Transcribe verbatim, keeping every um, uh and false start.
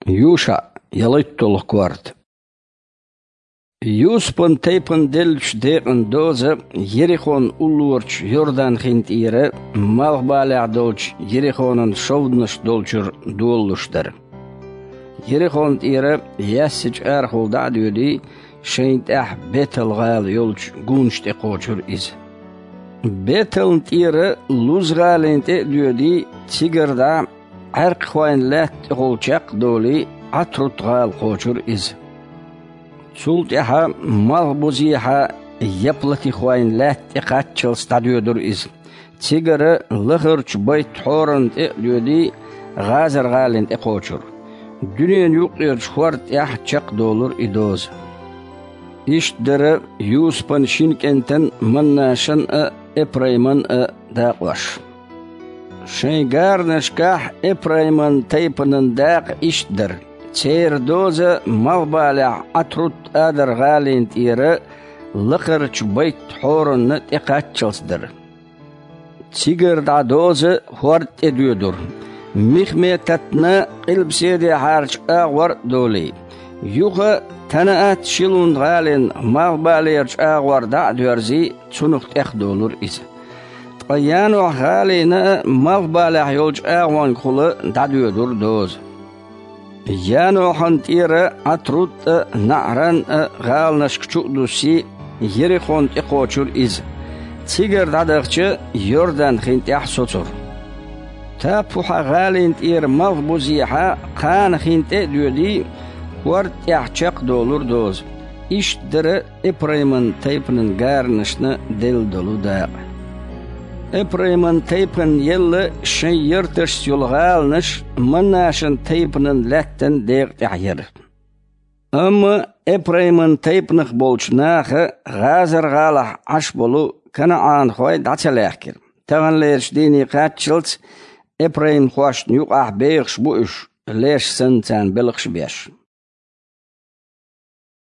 Юша, ялайтталгӀа корта. Юсупан тайпана деллачу декъан доза Ерихон уллорачу Йордан хин тӀера малхбалехь долчу Ерихонан шовданаш долчуьра долалуш дара. Ерихон тӀера яьссачу арахула дӀа а доьдий, шайна тӀехь Бетал-гӀала йолчу гунаш тӀе кхочура иза. Бетална тӀера Луз-гӀалина тӀе а доьдий, цигара дӀа Ӏаьркхойн лаьтта тӀехула чекх а долий, Ӏатрут-гӀала кхочура иза. Цул тӀаьхьа малхбузехьа Яплатихойн лаьтта тӀе кхаччалц дӀадоьдура иза. Цигара лахарчу Байт-Хьоранна тӀе а доьдий, ГӀазар-гӀалина тӀе кхочура. Дуьненан юккъерчу хӀорда тӀехь чекхдолура и доза. Иштта дара Юсупан шина кӀентан Маннашан а, Эпрайман а дакъош. Шайн гаранашкахь Эпрайман тайпанан дакъа иштта дара: церан доза малхбалехь Ӏатрут-Адар-гӀалина тӀера лакхарчу Байт-Хьоранна тӀе кхаччалц дара. Цигара дӀа доза хӀорда тӀе доьдура, Михметатна къилбаседехьарчу агӀор а долий. Юха Танаат-Шилун-гӀалин малхбалерчу агӀор дӀа а доьрзий, цунах тӀехдолура иза. Ткъа Янохь-гӀалина а малхбалехь йолчу агӀонгахула дӀадоьдура доза. Янохьан тӀера Ӏатрут а, НаӀран а гӀаланашка чу а дуссий, Ерихон тӀе кхочура иза. Цигара дӀадахча, Йордан хин тӀехь соцура. Таппухьа-гӀалина тӀера малхбузехьа Кхана хин тӀе а доьдий, хӀорда тӀехь чекхдолура доза. Иштта дара Эпрайман тайпанан гаранашна делла долу дакъа. Эпрайман тайпанна елла шайн ярташца йолу гӀаланаш Маннашан тайпанан лаьттан декъа тӀехь яра. Амма Эпрайман тайпанах болчу наха ГӀазар-гӀалахь Ӏаш болу канаӀанхой дӀа ца лаьхкира. Таханлерчу дийне кхаччалц эпраймхошна юкъахь бехаш бу уьш, леш санна царна белхаш а беш.